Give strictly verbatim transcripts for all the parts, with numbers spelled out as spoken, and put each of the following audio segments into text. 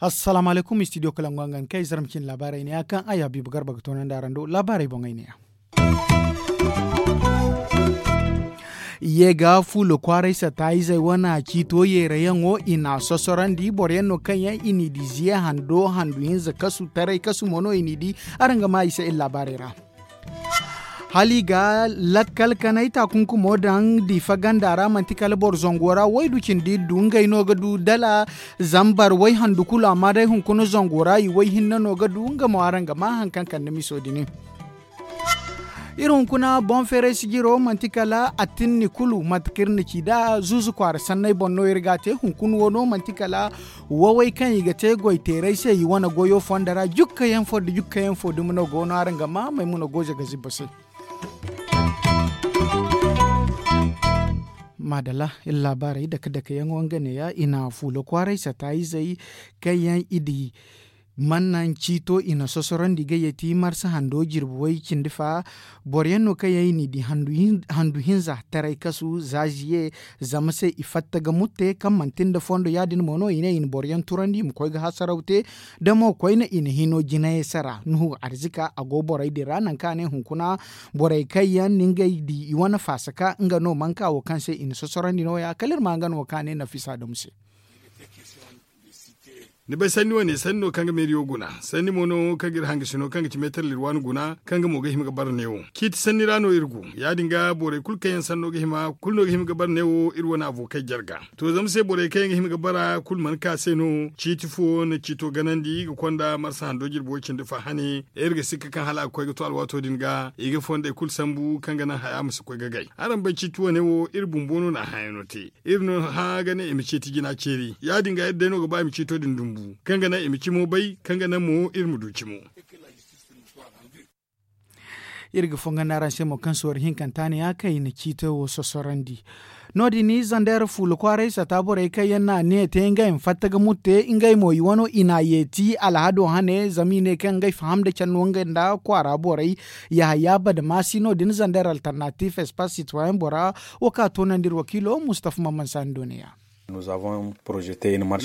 Assalaamu alaykum, studio kalangu hangan kay zarma cine laabaarey ne ya kaŋ ay habiibu garba ga toonandi araŋ do laabaarey boŋey ne ya. Ye ga fuula kwaaray sata izey wane ciito yeerayaŋo i n'a sosorandi boro yaŋ no kaŋ yaŋ i n'i di ziya hando handu hinza kasu taray kasu mo no i n'i di. Araŋ ga maa i se iri laabaarey ra. Hala i ga lakkal kanay taakunkumo daŋ diifa ganda ra manti kala boro zango ra waydu cindi du ngey no ga du dala zambar wayhandu kulu amma day hunkuna zango ra i wayhinne no ga du nga mo araŋ ga maa hari kaŋ kande miso din. Iri hunkuna boŋ feeray sijiro manti kala attinni kulu mate kaŋ iri na ci nd'a zuuzu kwaara sanney boŋ no iri ga a te hunkuna wo no manti kala wawey kaŋ i ga te goyteeray se i wane goyo fondo ra jukkayaŋ fo nda jukkayaŋ fo dumi no go no araŋ ga maa maymuna goze ga zibba se. Maadalla iri laabaarey dake dake yaŋo nga neeya i na fuula kwaaray sata izey kaŋ yaŋ i di mannaŋ ciito i na sosorandi ga yeeti marsa hando jirbi way cindi fa. Boro yaŋ no kaŋ yaŋ i n'i di handu hinza taray kasu za ziye zama se i fatta ga mutte kaŋ manti nda fondo ya- din mo no i ne i na boro yaŋ turandi i ma koy ga hasaraw te. Da mo koyne i na hino jinayey sara nuhu arzika a go borey din ra nangu kaŋ a ne hunkuna borey kaŋ yaŋ na ngey di i wane faasaka nga no manka wo kaŋ se i na sosorandi nooya kala iri ma nga no kaŋ a ne nafisa damu se. Ni bay sanni wane sanni no kaŋ ga meeriyo guna sanni mo no kaŋ ga iri hangasino kaŋ ga ci meetar lirwaani guna kaŋ ga mo ga hima ga bara neewo ciiti sanni ra no iri go. Ya- din ga borey kulu kaŋ yaŋ sanno ga hima kulu no ga hima ga bara neewo iri wane avookey jarga. To zama se borey kaŋ yaŋ ga hima ga bara kulu mana ka se no ciiti fo na ciito ganandi ga konda marsa hando jirbi way cindi fa hane. Iri ga sikka kaŋ hala a ga koy ga to alwaato din ga i ga fondey kulu sambu kaŋ ga naŋ haya ma si koy ga gay. Araŋ bay ciiti wane wo iri bumbo no na a hayaŋo te. Iri no hã ga ne i ma ceeti jina ceeri ya- din ga iri day no ga ba i ma ceeto din dumbu kaŋ ga naŋ i ma cimo bay kaŋ ga naŋ mo iri ma du cimo. Iri ga fonga n'araŋ se mo kaŋ soori hinkanta ne ya kaŋ i na ciito wo sosorandi. No- din zander fuula kwaaray sata borey kaŋ yaŋ na a ne te ngey ma fatta ga mutte ngey mo i wano i na a yeeti alhado hane zama i ne kaŋ ngey faham nda care no ngey nda kwaara borey. Yahaya badamaasi no- din zander alternatif espace citoyen bora wo kaŋ a toonandi iri wakiilo mustafa mamman sani do ne ya.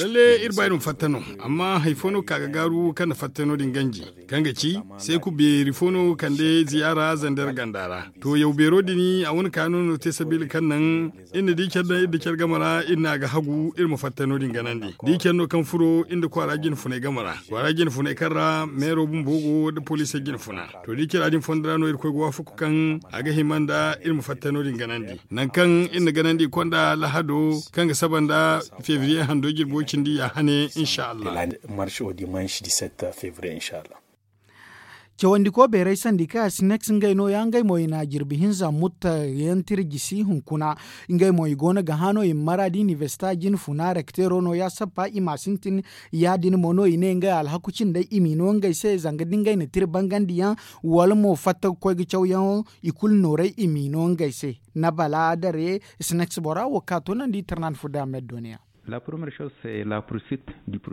Lalle iri ba iri ma fatta no amma hari fo no ga ka ga gaaru kaŋ na fatta no- din ganji kaŋ ga ci seeku beeri fo no kande ziyaara zander ganda ra. To yaw beero din a wane kaano no te sabiila kaŋ naŋ iri na di care daŋ iri da care game ra iri na a ga hagu iri ma fatta no- din ganandi da i care no kaŋ furo iri nda kwaara jine funay game ra kwaara jine funay kaŋ ra meero bumbo go nda poliisey jine funa. To da i care din fondo ra no iri koy ga waafaku kaŋ a ga hima nda iri ma fatta no- din ganandi nangu kaŋ iri na ganandi i konda lahado kaŋ ga saba nda febriye hando jirbo cindi ya hane insa allah. Marso dimansi diset febriye insa allah. Cawandi ko beeray sandi kaŋ a si nex ngey no ya ngey mo i na jirbi hinza mutta yaŋ tira jisi hunkuna. Ngey mo i go no ga hã no i ma mara da inibersita jine funa rekteero no ya sappa i ma sintin. Ya- din mo no i ne ngey alhaku cindey i m'i no ngey se zanga da ngey na tira bangandi yaŋ wala mo fatta ga koy ga cawyaŋo i kulu nooray i m'i no ngey se. Nabala dare sneks bora wo ka toonandi tarnan fo da a me doniya.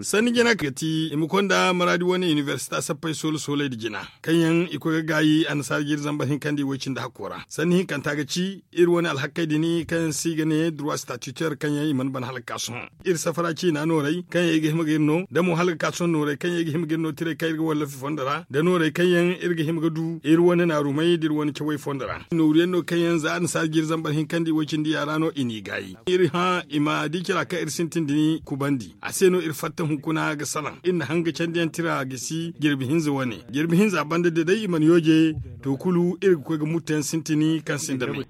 Sanni jina ga ti i ma konda maraadi wane inibersita sappey soolo sooley nda jina kaŋ yaŋ i koy ga gaayi annasaara jiiri zambar hinkandi way cindi hakko ra sanni hinkanta ga ci iri wane alhakkey din kaŋ yaŋ se i ga ne durwa statutaire kaŋ yaŋ i mana ban hala ga ka sohõ. Iri safara ciina nooray kaŋ yaŋ i ga hima ga iri no da mo hala ga ka sohõ nooray kaŋ yaŋ i ga hima ga iri no tiray kaŋ iri ga wallafi fondo ra da nooray kaŋ yaŋ iri ga hima ga du iri wane naarumey da iri wane cawey fondo ra nooru yaŋ no kaŋ yaŋ za annasaara jiiri zambar hinkandi way cindi yaara no i n'i gaayi. Iri hã i ma di cara kaŋ iri sintin din kubandi a se no iri fatta hunkuna ga salaŋ iri na hanga candiyaŋ tira gisi jirbi hinza wane jirbi hinza banda da day i mana yooje. To kulu iri ga koy ga muttu yaŋ sintin kaŋ sinda me.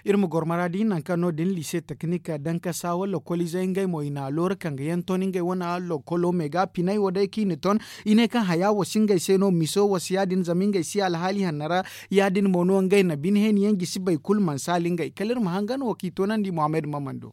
Iri ma goro maraadi nangu kaŋ no- din liise teknik dankasa wala lokoliizey ngey mo i na loora kaŋ ga yaŋ ton ngey wane lokolo me ga pinay wo day kaŋ i na ton. I ne kaŋ haya wo si ngey se no miso wo si ya- din zama ngey si alhaali hanno ra. Ya- din mo no ngey na bine heeni yaŋ jisi boro kulu mana saali ngey kala iri ma hangan wo kaŋ i toonandi muhammad maman do.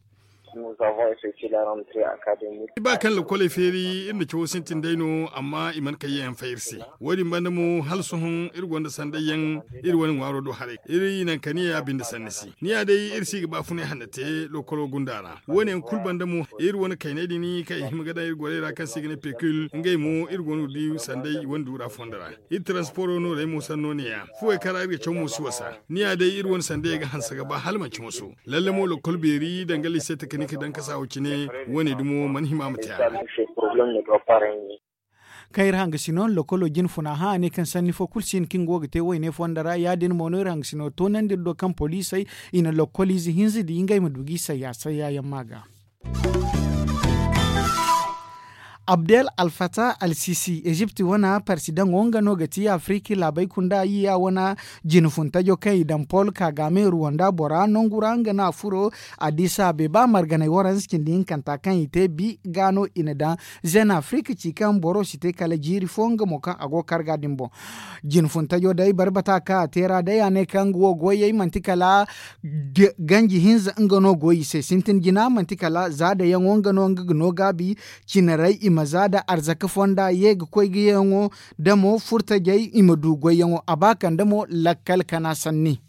Ba kaŋ lakoley feeri iri na cawo sintin day no amma i mana kayyaŋ yaŋ fay iri se. Wo- din banda mo hala sohõ iri gonda sanday yaŋ iri wane ŋwaaro do haray iri nankaniya binde sanni se. Ni ya day iri si ga baafunay hanna te lokolo gunda ra wo- ne yaŋ kulu banda mo iri wane kaynay din kaŋ i hima ga daŋ iri gorey ra kaŋ se i ga ne pekul ngey mo iri go no ga di sanday i wane duura fondo ra. Iri taransiporo noorey mo sanno ne- ya fuwey kaŋ ra iri ga caw mo si wasa. Ni ya day iri wane sanday ga hanse ga ba hala manci moso. Lalle mo lokol beeri danga lise takanik dankasa wo- cine. Wo- ne dumo mana hima ma te a ra. Kaŋ iri hanga si no lokolo jine funa hã a ne kaŋ sanni fo kulu si hin kaŋ go ga te wayne fondo ra ya- din mo no iri hanga si no toonandi iri do kaŋ poliisey i na lokol ize hinza di ngey ma du ga i sayya sayya yaŋ ma ga. Abdel alfata alsisi ezipt wana parsidaŋo nga no ga ti afiriki laabey kunda yiya wana jine funtajo kaŋ i daŋ pol kaagame ruwanda bora nangu ra nga no a furo. Adisa beeba marganey waranza cindi hinkanta kaŋ i te bi ga no i na daŋ zen afirika ci kaŋ boro si te kala jiiri fo nga mo kaŋ a go ga kar ga din boŋ. Jine funtajo day barbata kaŋ a te ra day a ne kaŋ nga wo goyey manti kala ganji hinza nga no go i se sintin jina manti kala zaadayaŋo nga no nga ga no gaabi. Cinarey i ma za da arzaka fonda ye ga koy ga yaŋo da mo furtajey i ma du goyyaŋo a ba kande mo lakkal kana sanni.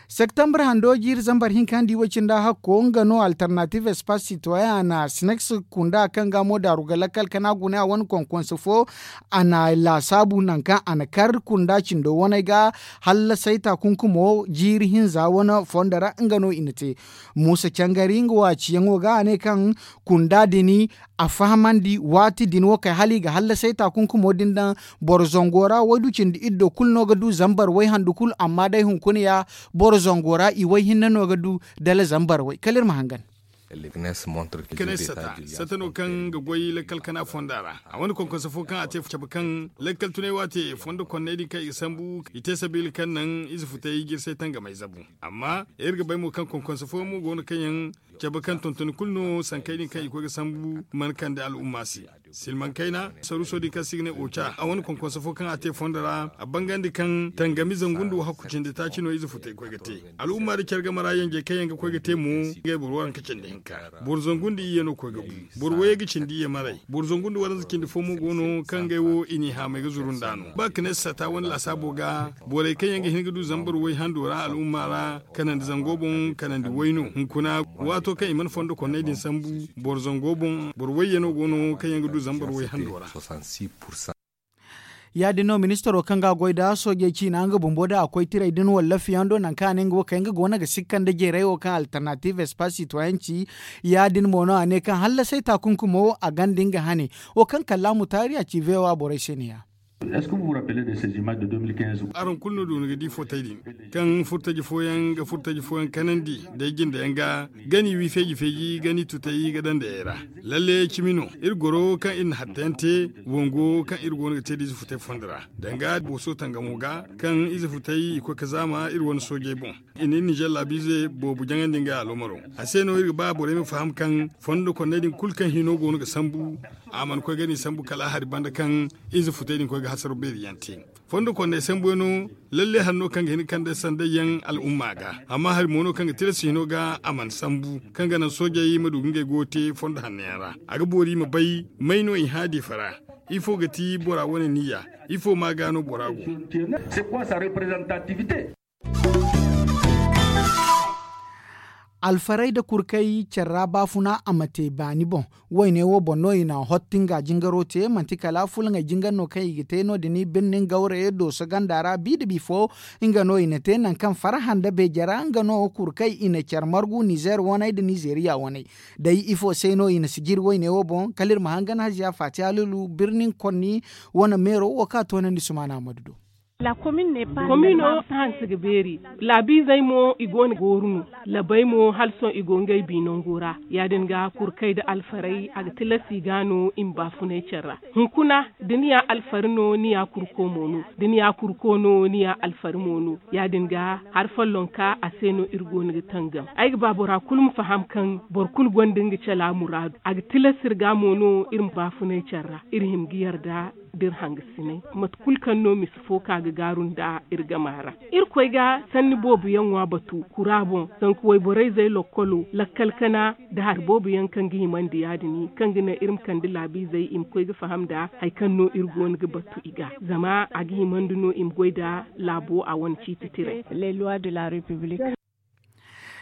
Septembre hando jiiri zambar hinka nda i way cinda hakko nga no alternative espace citoyen a na sinex kunda kaŋ ga mo daaru ga lakkal kana gune a wane konkonse fo. A na laasaabu nangu kaŋ a na kar kunda cindo waney ga hallasay taakunkumo jiiri hinza wane fondo ra nga no i na te. Muusa cangari nga wo a ciyaŋo ga a ne kaŋ kunda din a fahamandi waati din wo kay hala i ga hallasay taakunkumo din daŋ boro zango ra waydu cindi iddo kulu no ga du zambar way handu kulu amma day hunkuna ya boro zango ra i way hinne no ga du dala zambar way kala iri ma hangan. Kane sata sata no kaŋ ga goy lakkal kana fonda ra a wane konkonse fo kaŋ a te cabe kaŋ lakkal tunay waate fondo konney din kaŋ i ga sambu i te sabiila kaŋ naŋ ize futay jirsay tangamay zabu. Amma iri ga bay mo kaŋ konkonse fooyaŋ mo go no kaŋ yaŋ cabe kaŋ tontoni kulu no sankey din kaŋ i koy ga sambu mana kande al'umma se. Silmaŋ kayna saruuso din kaŋ se i ga ne oca a wane konkonse fo kaŋ a te fondo ra a bangandi kaŋ tangami zangu nda wo hakku cindi taaci no ize futay koy ga te. Al'umma nda care game ra yanjey kaŋ yaŋ ga koy ga te mo ngey boro waranka cindi hinka boro zangu nda iyye no koy ga bu. Boro wayey ga cindi iyye maray boro zangu nda waranza cindi fo mo go no kaŋ ngey wo i n'i haamay ga zuru nd'a no ba ga ne sata wane laasaabo ga borey kaŋ yaŋ ga hin ga du zambar way hando ra al'umma ra kanandi zango boŋ kanandi way no hunkuna waato kaŋ i mana fondo konney din sambu boro zango boŋ boro wayye no go no kaŋ yaŋ ga du zambar way hando ra. Ya- din no ministaro kaŋ ga a goy nd'a soojey ciina nga bumbo da a koy tiray din wallafiyaŋ do nangu kaŋ a ne nga wo kay nga go no ga sikka nda jeeray wo kaŋ alternative espace citoyen ci. Ya- din mo no a ne kaŋ hallasay taakunkumo wo a ganda nga hane wo kaŋ kallaamu taari a ci voa borey se ne- ya. Araŋ kulu no doona ga di fotey din kaŋ furtaji fooyaŋ ga furtaji fooyaŋ kanandi day jindeyaŋ ga gani wi feeji feeji gani tutay ga daŋ ndayey ra. Lalle cimi no iri goro kaŋ iri na hattayaŋ te wango kaŋ iri go no ga te da ize futay fondo ra danga booso tangamo ga kaŋ ize futay i koy ga zaama iri wane soojey boŋ. I na iri nizer laabiize boobo jaŋandi ngey aloomaro. A se no iri ga ba borey ma faham kaŋ fondo konney din kulu kaŋ hino go no ga sambu a mana koy ga ni sambu kala a hari banda kaŋ ize futey din koy ga hasaro beeri yaŋ te. Fondo konney sambuyaŋ no lalle hari no kaŋ ga hin ga kande sanday yaŋ al'umma ga amma hari mo no kaŋ ga tilas hino ga a mana sambu kaŋ ga naŋ soojey ma du ga ngey goyo te fondo hanno yaŋ ra. A ga boori ma bay may no i hã diifa ra ifo ga ti bora wane niyya? Ifo ma ga no bora go? Alfarey nda kurkey care ra baafuna a ma te baani boŋ. Wayne wo boŋ no i na hottu nga jingaro te manti kala fulaŋey jingar no kaŋ i ga te no- din birnin gawre dooso ganda ra bi nda bifo. Nga no i na te nangu kaŋ farhã nda beeje ra nga no kurkey i na care margu nizer waney nda nizeriya waney. Day ifo se no i na si jiri wayne wo boŋ kala iri ma hangan haziya faati halilu birnin konni wane meero wo kaŋ a toonandi sumaana ammadu do. Komino hanse ga beeri. Laabiizey mo i go no ga gooru no. Labey mo hala sohõ i go ngey bi nango ra. Ya- din ga kurkey nda alfarey a ga tilas i ga no i ma baafunay care ra. Hunkuna da ni ya alfari no ni ya kurko mo no. Da ni ya kurko no ni ya alfari mo no. Ya- din ga hari follonka a se no iri go no ga tangam ay ga ba bora kulu ma faham kaŋ boro kulu gonda nga cala muraadu a ga tilas iri ga mo no iri ma baafunay care ra iri hima ga yarda. Da iri hangasinay mate kulu kaŋ no misa fo ka ga gaaru nda iri gama ra. Irkoy ga sanni boobo yaŋ ŋwa batu kura boŋ, zanka wayborey zey lokkolo lakkal kana nda hari boobo yaŋ kaŋ ga himandi ya- din kaŋ ga naŋ iri ma kande laabiizey i ma koy ga faham nda hari kaŋ no iri go no ga batu i ga. Zama a ga himandi no i ma goy nda laabo a wane ciiti tiray.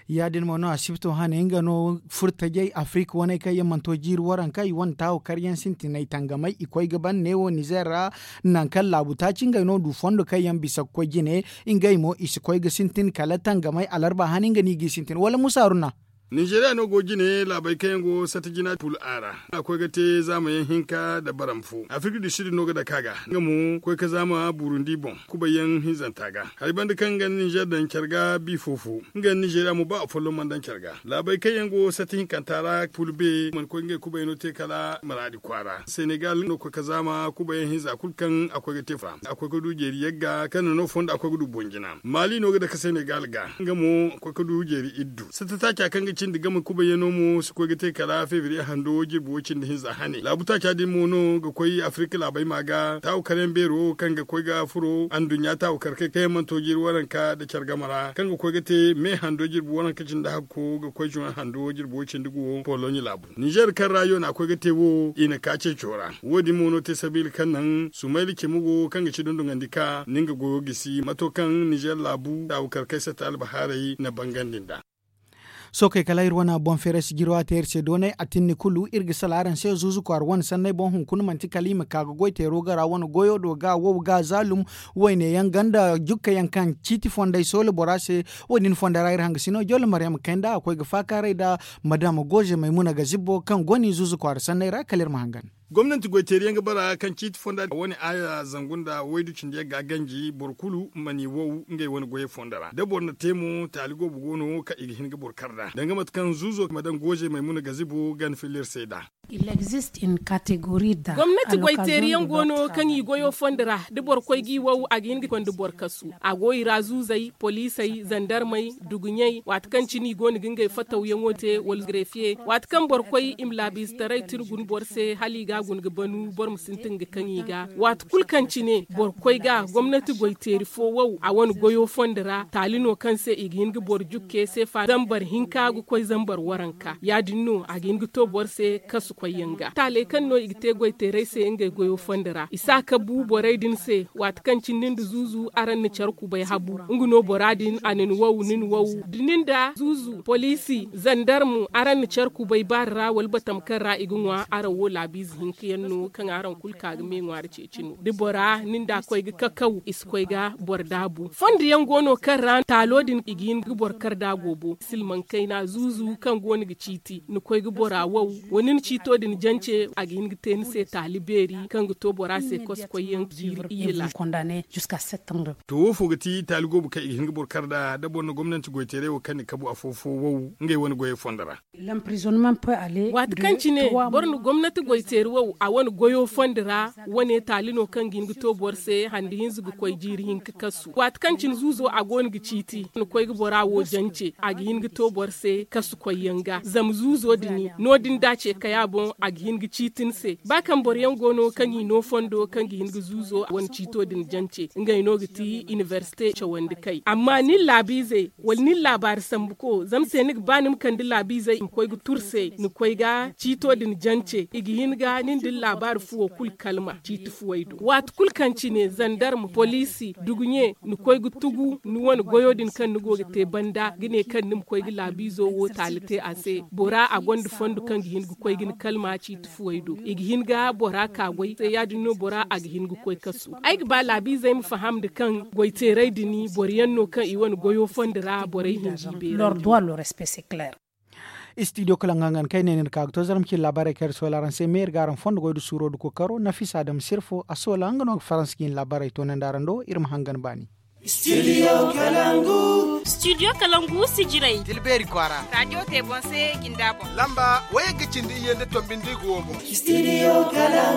Ya- din mo no asibto hane nga no furtajey afirika waney kaŋ yaŋ mana to jiiri waranka i wane taawo karyaŋ sintinay tangamay i koy ga ban neewo nizer ra. Nangu kaŋ laabu taaci ngey no du fondo kaŋ yaŋ bisa ga koy jine. Ngey mo i si koy ga sintin kala tangamay alarba hane nga no i g'i sintin wala musa haruna. Ninzeeriya no go jine laabey kaŋ yaŋ go sata jina pul a ra a koy ga te zaamayaŋ hinka nda baram fo afirika du sud no ga dake a ga nga mo koy ga zaama burundi boŋ kubay yaŋ hinzanta ga. Hari banda kaŋ nga nda ninzeer daŋ care ga bi fo fo nga nda ninzeeriya mo ba afolloŋ mana daŋ care ga laabey kaŋ yaŋ go sata hinkanta ra pul be mana koy ngey kubay no te kala maraadi kwaara senegal no koy ga zaama kubay yaŋ hinza kulu kaŋ a koy ga te fo ra a koy ga du jeeri yagga kaŋ na no fondo a koy ga du boŋ jina maali no ga dake senegal ga nga mo koy ga du jeeri iddu sata taaca kaŋ ga cindi game kubayyaŋo mo si koy ga te kala febriye hando jirbi wo cindi hinza hane laabu taaca din mo no ga koy afirika laabey ma ga taawu karyaŋ beero kaŋ ga koy ga furo anduɲɲa taawu karkey kaŋ yaŋ mana to jiiri waranka nda care game ra kaŋ ga koy ga te me hando jirbi waranka cindi hakko ga koy juwan hando jirbi wo cindi guwo poloɲe laabu ninzeer kaŋ ra yo na a koy ga te wo i na ka ceeco ra wo- din mo no te sabiila kaŋ naŋ sumayla cimi go kaŋ ga ci dunduŋandi ka ni nga goyo gisi mato kaŋ ninzeer laabu taawu karkey sata albahaarey na bangandi nd'a. Sookey kala iri wane boŋ feeray si jiro a te iri se doonay a tinni kulu iri ga sala araŋ se zuuzu kwaara wane sanney boŋ hunkuna manti kala i ma ka ga goy teero gara wane goyo do ga wow ga zaalum wayne yaŋ ganda jukka yaŋ kaŋ ciiti fondey soola bora se. Wo- din fonda ra iri hangasino jolle maryama kayna a koy ga faakaaray nda madama goze maymuna ga zibbo kaŋ go no i zuuzu kwaara sanney ra kala iri ma hangan. Gomnanti goy teeri yaŋ ga bara kaŋ ciiti fonda wane aaya zangu nda waydu cindi yaŋ ga ganji boro kulu mana i wow ngey wane goyey fondo ra da boro na te mo taali goobo go no kaŋ i ga hin ga boro kar nd'a danga mate kaŋ zuuzo ma daŋ gooze maymuna ga zibo gana filla iri se nd'a. Gomnati goy teeri yaŋ go no kaŋ i goyo fondo ra da boro koy g'i wow a ga hin ga konda boro kasu a go i ra zuuzey poliisey zandarmey duguɲey waati kaŋ cine i go no ga ngey fatawyaŋo te wala grefiye waati kaŋ boro koy i ma laabiizetaray tira guna boro se hala i ga a guna ga banu boro ma sintin ga kaŋ i ga waati kulu kaŋ cine boro koy ga gomnati goy teeri fo wow a wane goyo fondo ra taali no kaŋ se i ga hin ga boro jukke seefa zambar hinka ga koy zambar waranka ya- din no a ga hin ga to boro se kasu koyyaŋ ga taaley kaŋ no i ga te goy teerey se ngey goyo fondo ra i si a kabu borey din se waati kaŋ cindi nda zuuzu araŋ na care kubay habu nga no bora din a na ni wow ni na wow da nin da zuuzu poliisi zandarmu araŋ na care kubay baari ra wala batama kaŋ ra i ga ŋwa araŋ wo laabiize hinka yaŋ no kaŋ araŋ kulu ka ga me ŋwaari ceeci no da bora nin da koy ga kakaw i si koy ga boro daabu fondo yaŋ go no kaŋ ra taalo din i ga hin ga boro kar da goobo silmaŋ kayna zuuzu kaŋ go no ga ciiti ni koy ga bora wow wa nin ciito din jance a ga hin ga te ni se taali beeri kaŋ ga to bora se kosokoyyaŋ jiiri iyye laakal. To wo fo ga ti taali goobo kaŋ i ga hin ga boro kar nd'a da boro na gomnanti goyteeray wo kaŋ ni kabu afo-fo wow ngey wane goyey fondo ra. Waati kaŋ cine boro na gomnati goyteeri wow a wane goyo fondo ra wane taali no kaŋ ga hin ga to boro se handi hinza ga koy jiiri hinka kasu waati kaŋ cine zuuzo a go no ga ciiti ni koy ga bora wo jance a ga hin ga to boro se kasu koyyaŋ ga zama zuuzo din no- din da ce kaya boŋ a ga hin ga ciiti ni se ba kaŋ boro yaŋ go no kaŋ i no fondo kaŋ ga hin ga zuuzo wane ciito din jance ngey no ga ti inibersite cawandi kay amma nin laabiizey wala nin laabaari sambuko zama se ni ga ba ni ma kande laabiizey i ma koy ga tur se ni koy ga ciito din jance i ga hin ga nin da ni laabaari fuwo kulu kalma ciiti fuwey do waati kulu kaŋ cine zandarma poliisi duguɲe ni koy ga tugu ni wane goyo din kaŋ ni go ga te banda ga ne kaŋ ni ma koy ga laabiizo wo taali te a se bora a gonda fondo kaŋ ga hin ga koy ga ni kalma ciiti fuwey do i ga hin ga bora ka goy se ya- din no bora a ga hin ga koy kasu ay ga ba laabiizey ma faham nda kaŋ goyteeray din boro yaŋ no kaŋ i wane goyo fondo ra borey hinji beerandi. Studio kala nga ngan kay ne ni ga ka ga to zarma cine laabaarey kaŋ iri soola araŋ se me iri ga araŋ fondo goy nda suuro nda kookaro nafisa adama sirfo a soola nga no ga faransa ga hin laabaarey toonandi araŋ do iri ma hangan baani. Studio kalangu. Studio kalangu sijirey tilbeeri kwaara raajo te boŋ se jinda boŋ lamba wayey ga cindi iyye nda tombi nda i ga wo boŋ. Studio kalangu.